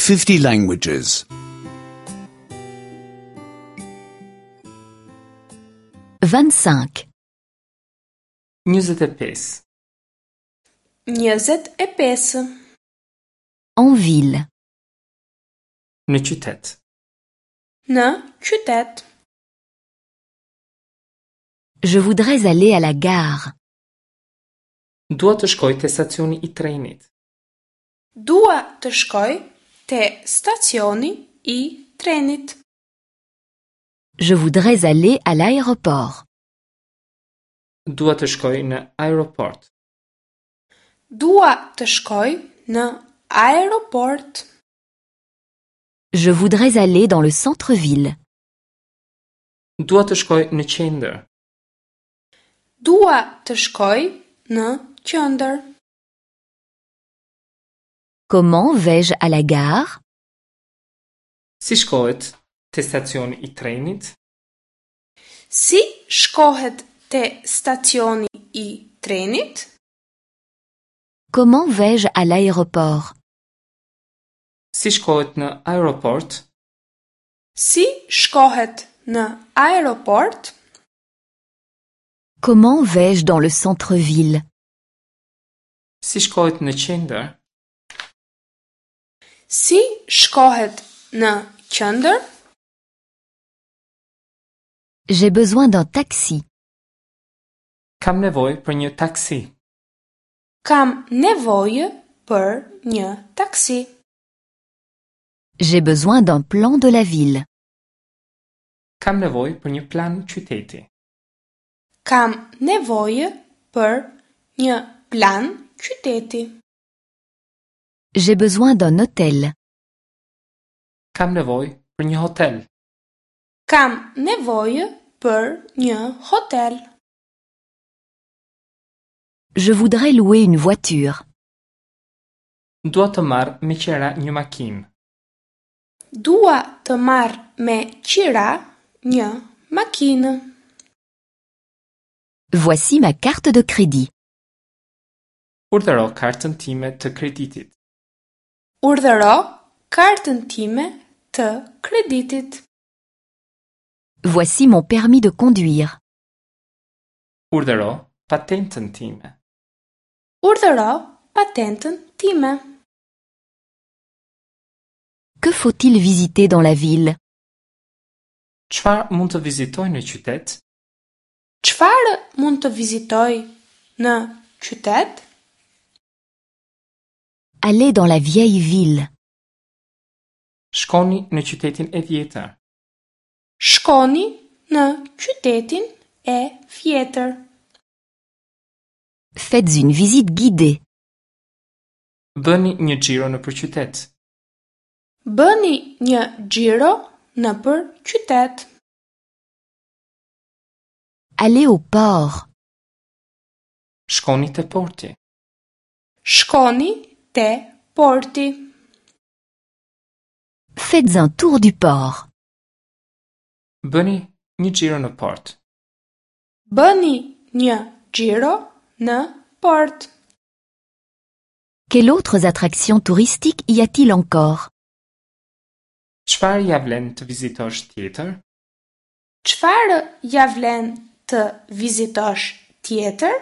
50 languages. 25. 25. 25. En ville. Në qytet. Në qytet. Je voudrais aller à la gare. Dua të shkoj te stacioni i trenit. Dua të shkoj te stacioni i trenit. Je voudrais aller à l'aéroport. Dua të shkoj në aeroport. Dua të shkoj në aeroport. Je voudrais aller dans le centre-ville. Dua të shkoj në qendër. Dua të shkoj në qendër. Comment vais-je à la gare? Si shkohet te stacioni i trenit? Si shkohet te stacioni i trenit? Comment vais-je à l'aéroport? Si shkohet në aeroport? Si shkohet në aeroport? Comment vais-je dans le centre-ville? Si shkohet në qendër? Si shkohet në qendër? J'ai besoin d'un taxi. Kam nevojë për një taksi. Kam nevojë për një taksi. J'ai besoin d'un plan de la ville. Kam nevojë për një plan qyteti. Kam nevojë për një plan qyteti. J'ai besoin d'un hôtel. Kam nevojë për një hotel. Kam nevojë për një hotel. Je voudrais louer une voiture. Dua të marr me qira një makinë. Dua të marr me qira një makinë. Voici ma carte de crédit. Urdhëro kartën time të kreditit. Urdhëro kartën time të kreditit. Voici mon permis de conduire. Urdhëro patentën time. Urdhëro patentën time. Que faut-il visiter dans la ville? Çfarë mund të vizitoj në qytet? Çfarë mund të vizitoj në qytet? Aller dans la vieille ville. Shkoni në qytetin e vjetër. Shkoni në qytetin e vjetër. Faites une visite guidée. Bëni një xhiro nëpër qytet. Bëni një xhiro nëpër qytet. Aller au port. Shkoni te porti. Shkoni te porti. Faites un tour du port. Bëni një xhiro në port. Bëni një xhiro në port. Quelles autres attractions touristiques y a-t-il encore? Çfarë ja vlen të vizitosh tjetër? Çfarë ja vlen të vizitosh tjetër?